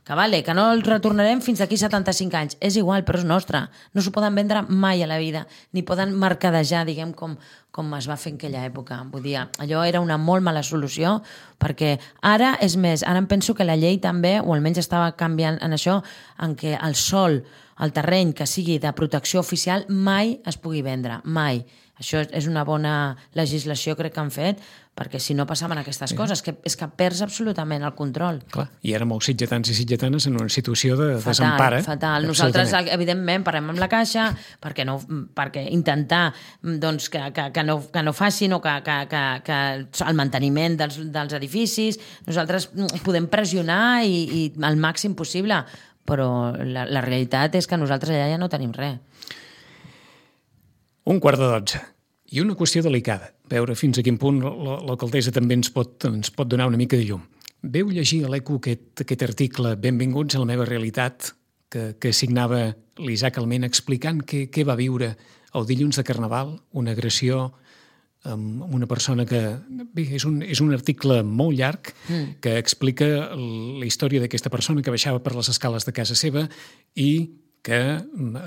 Que vale, que no el retornarem fins d'aquí setanta-cinc anys. És igual, però és nostre. No s'ho poden vendre mai a la vida, ni poden mercadejar, diguem, com, com es va fer en aquella època. Vull dir, allò era una molt mala solució, perquè ara, és més, ara em penso que la llei també, o almenys estava canviant en això, en què el sòl, el terreny que sigui de protecció oficial, mai es pugui vendre, mai. Això és una bona legislació, crec que han fet, perquè si no passaven aquestes coses, que és que perds absolutament el control. Clar, i ara molts sitgetans i sitgetanes en una situació de fatal, desempara. Fatal, Nosaltres, evidentment, parlem amb la Caixa perquè, no, perquè intentar doncs, que, que, que, no, que no facin o que, que, que, que el manteniment dels, dels edificis, nosaltres podem pressionar i, i al màxim possible, però la, la realitat és que nosaltres allà ja no tenim res. Un quart de dotze. I una qüestió delicada. Veure fins a quin punt l'alcaldessa també ens pot, ens pot donar una mica de llum. Veu llegir a l'Eco aquest, aquest article Benvinguts a la meva realitat que, que signava l'Isaac Alment explicant què, què va viure el dilluns de Carnaval, una agressió amb una persona que... Bé, és un, és un article molt llarg mm. que explica la història d'aquesta persona que baixava per les escales de casa seva i que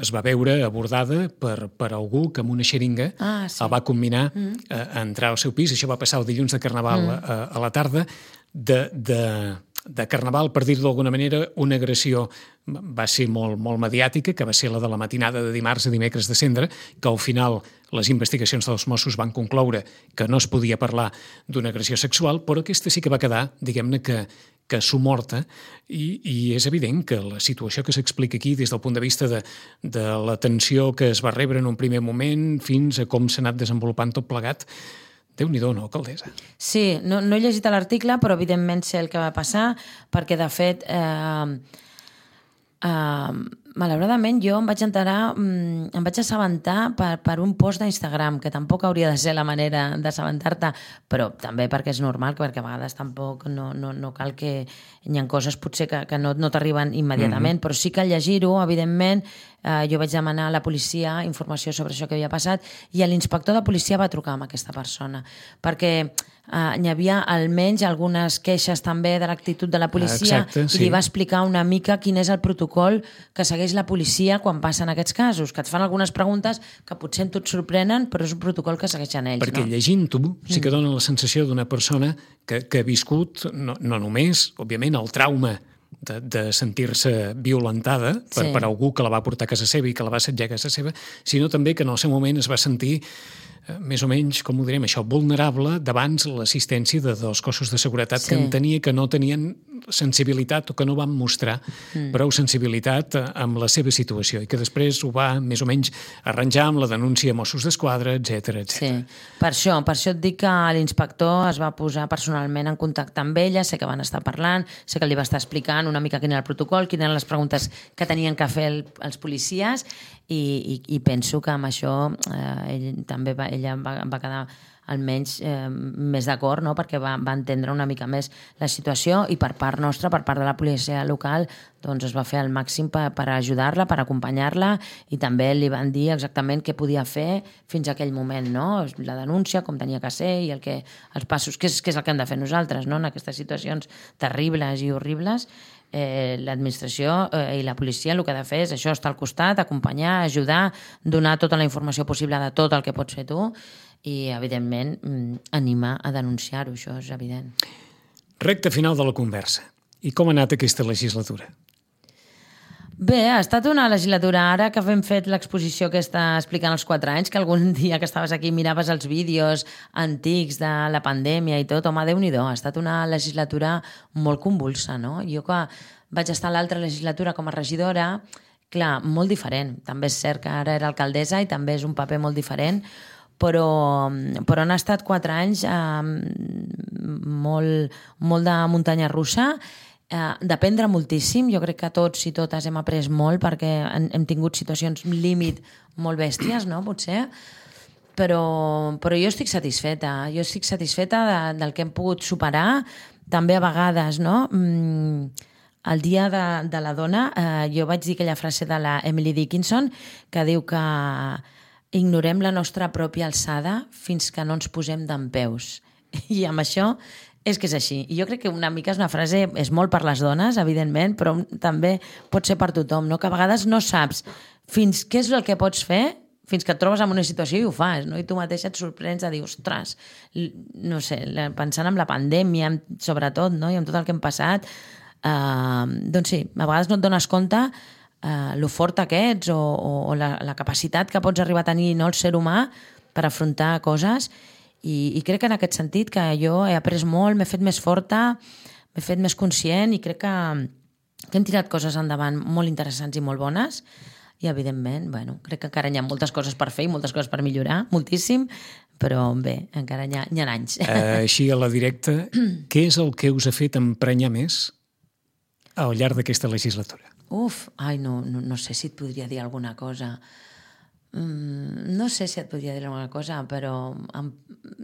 es va veure abordada per, per algú que amb una xeringa ah, sí. el va combinar mm. a, a entrar al seu pis. Això va passar el dilluns de Carnaval mm. a, a la tarda. De, de, de Carnaval, per dir-ho d'alguna manera, una agressió va ser molt, molt mediàtica, que va ser la de la matinada de dimarts a dimecres de Cendra, que al final les investigacions dels Mossos van concloure que no es podia parlar d'una agressió sexual, però aquesta sí que va quedar, diguem-ne, que que s'ho morta, i, i és evident que la situació que s'explica aquí des del punt de vista de, de la tensió que es va rebre en un primer moment fins a com s'ha anat desenvolupant tot plegat, Déu-n'hi-do, no, alcaldessa? Sí, no, no he llegit l'article, però evidentment sé el que va passar, perquè de fet... Eh, Uh, malauradament jo em vaig enterar, um, em vaig assabentar per, per un post d'Instagram, que tampoc hauria de ser la manera d'assabentar-te, però també perquè és normal, perquè a vegades tampoc no, no, no cal que hi ha coses potser que, que no, no t'arriben immediatament, mm-hmm. però sí que al llegir-ho, evidentment, uh, jo vaig demanar a la policia informació sobre això que havia passat i l'inspector de policia va trucar amb aquesta persona, perquè Uh, hi havia almenys algunes queixes també de l'actitud de la policia. Exacte, sí. I li va explicar una mica quin és el protocol que segueix la policia quan passen aquests casos, que et fan algunes preguntes que potser tu et sorprenen, però és un protocol que segueixen ells. Perquè no? llegint-ho sí que dona la sensació d'una persona que, que ha viscut no, no només, òbviament, el trauma de, de sentir-se violentada per, Sí. per algú que la va portar a casa seva i que la va assetjar a casa seva, sinó també que en el seu moment es va sentir eh, més o menys, com ho direm, això, vulnerable davant l'assistència de, dels cossos de seguretat Sí. que entenia que no tenien sensibilitat o que no van mostrar mm. prou sensibilitat eh, amb la seva situació i que després ho va més o menys arranjar amb la denúncia a Mossos d'Esquadra, etcètera, etcètera. Sí, per això, per això et dic que l'inspector es va posar personalment en contacte amb ella, sé que van estar parlant, sé que li va estar explicant una mica quin era el protocol, quines eren les preguntes que tenien que fer el, els policies i, i, i penso que amb això eh, ell, també va, ella va, va quedar almenys eh, més d'acord, no? Perquè va, va entendre una mica més la situació i per part nostra, per part de la policia local, doncs es va fer el màxim per, per ajudar-la, per acompanyar-la i també li van dir exactament què podia fer fins a aquell moment, no? La denúncia, com tenia que ser i el que, els passos, què és, què és el que hem de fer nosaltres, no? En aquestes situacions terribles i horribles, eh, l'administració eh, i la policia el que ha de fer és això, estar al costat, acompanyar, ajudar, donar tota la informació possible de tot el que pots fer tu i, evidentment, animar a denunciar-ho, això és evident. Recte final de la conversa. I com ha anat aquesta legislatura? Bé, ha estat una legislatura ara que hem fet l'exposició aquesta explicant els quatre anys, que algun dia que estaves aquí miraves els vídeos antics de la pandèmia i tot, home, Déu-n'hi-do, ha estat una legislatura molt convulsa, no? Jo que vaig estar a l'altra legislatura com a regidora, clar, molt diferent. També és cert que ara era alcaldessa i també és un paper molt diferent, però, però han estat quatre anys eh, molt, molt de muntanya russa, eh, d'aprendre moltíssim. Jo crec que tots i totes hem après molt perquè hem, hem tingut situacions límit molt bèsties, no? Potser. Però, però jo estic satisfeta. Jo estic satisfeta de, del que hem pogut superar. També a vegades, no? Mm, el dia de, de la dona, eh, jo vaig dir aquella frase de la Emily Dickinson que diu que ignorem la nostra pròpia alçada fins que no ens posem dempeus. I amb això és que és així. I jo crec que una mica és una frase, és molt per les dones, evidentment, però també pot ser per tothom, no? Que a vegades no saps fins què és el que pots fer fins que et trobes en una situació i ho fas, no? I tu mateixa et sorprens de dir, ostres, no sé, pensant en la pandèmia, sobretot, no? I amb tot el que hem passat, eh, doncs sí, a vegades no et dones compte Uh, lo fort que ets o, o, o la, la capacitat que pots arribar a tenir, no, el ser humà per afrontar coses i, i crec que en aquest sentit que jo he après molt, m'he fet més forta, m'he fet més conscient i crec que, que hem tirat coses endavant molt interessants i molt bones i evidentment, bueno, crec que encara hi ha moltes coses per fer i moltes coses per millorar, moltíssim, però bé, encara hi ha, hi ha anys. Uh, així a la directa, què és el que us ha fet emprenyar més al llarg d'aquesta legislatura? Uf, ai, no, no, no sé si et podria dir alguna cosa. Mm, no sé si et podria dir alguna cosa, però em,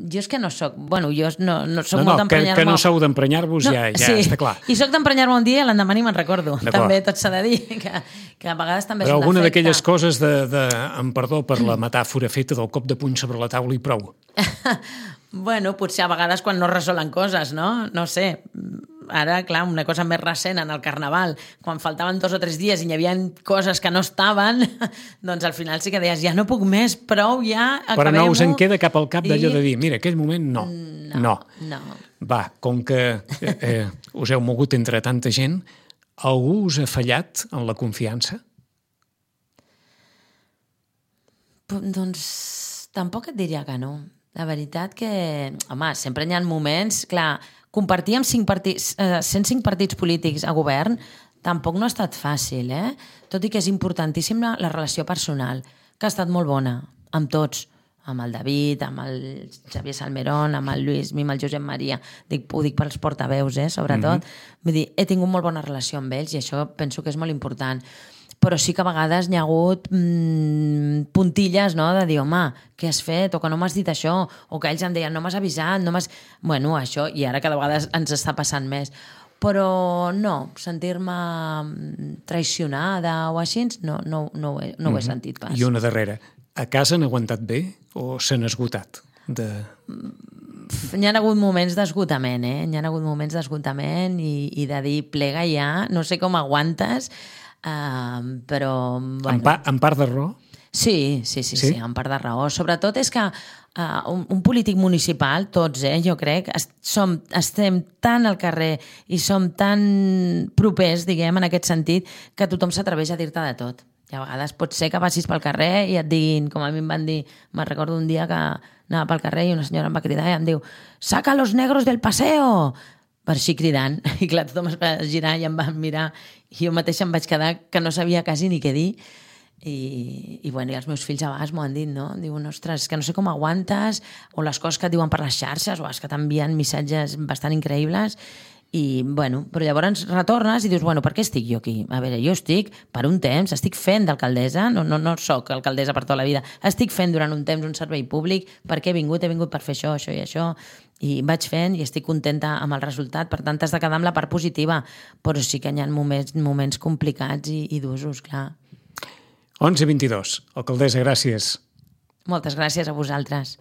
jo és que no soc... Bueno, jo no, no soc no, molt no, d'emprenyar-me... Que, que no sou d'emprenyar-vos, no, ja, ja sí. està clar. I soc d'emprenyar-me un dia i l'endemà ni me'n recordo. També tot s'ha de dir, que, que a vegades també però és un alguna defecte. d'aquelles coses de, de... Em perdó per la metàfora feta del cop de puny sobre la taula i prou. Bueno, potser a vegades quan no resolen coses, no? No sé... Ara, clar, una cosa més recent en el Carnaval, quan faltaven dos o tres dies i hi havia coses que no estaven, doncs al final sí que deies, ja no puc més, prou, ja, acabem-ho. Però no us en queda cap al cap d'allò I... de dir, mira, aquell moment no. No, no. no. Va, com que eh, eh, us heu mogut entre tanta gent, algú us ha fallat en la confiança? Doncs tampoc et diria que no. La veritat que, home, sempre hi ha moments, clar, compartir amb cinc partits, eh, cent cinc partits polítics a govern tampoc no ha estat fàcil, eh? Tot i que és importantíssima la relació personal, que ha estat molt bona, amb tots, amb el David, amb el Xavier Salmerón, amb el Lluís, amb el Josep Maria, dic, ho dic pels portaveus, eh, sobretot. Mm-hmm. Vull dir, he tingut molt bona relació amb ells i això penso que és molt important. Però sí que a vegades hi ha hagut mmm, puntilles, no?, de dir, home, què has fet? O que no m'has dit això, o que ells em deien, no m'has avisat, no m'has... Bueno, això, i ara cada vegada ens està passant més. Però no, sentir-me traicionada o així, no, no, no, ho, he, no ho he sentit pas. I una darrera, a casa han aguantat bé o s'han esgotat? De... Hi ha hagut moments d'esgotament, eh? Hi ha hagut moments d'esgotament i, i de dir, plega ja, no sé com aguantes, Uh, però... Bueno. En, pa, en part de raó? Sí, sí, sí, sí, sí, amb part de raó. Sobretot és que uh, un, un polític municipal, tots, eh, jo crec, est som, estem tan al carrer i som tan propers, diguem, en aquest sentit, que tothom s'atreveix a dir-te de tot. I a vegades pot ser que passis pel carrer i et diguin, com a mi em van dir, me'n recordo un dia que anava pel carrer i una senyora em va cridar i em diu «Saca los negros del paseo!» per així cridant. I clar, tothom es va girar i em van mirar i jo mateixa em vaig quedar que no sabia quasi ni què dir. I, i, bueno, i els meus fills a vegades m'ho han dit, no? Diuen, ostres, que no sé com aguantes, o les coses que et diuen per les xarxes, o és que t'envien missatges bastant increïbles, i, bueno, però llavors retornes i dius, bueno, per què estic jo aquí? A veure, jo estic per un temps, estic fent d'alcaldessa, no, no, no soc alcaldessa per tota la vida, estic fent durant un temps un servei públic, perquè he vingut, he vingut per fer això, això i això, i vaig fent i estic contenta amb el resultat, per tant t'has de quedar amb la part positiva, però sí que hi ha moments, moments complicats i, i d'usos, clar. onze vint-i-dos. Alcaldessa, gràcies. Moltes gràcies a vosaltres.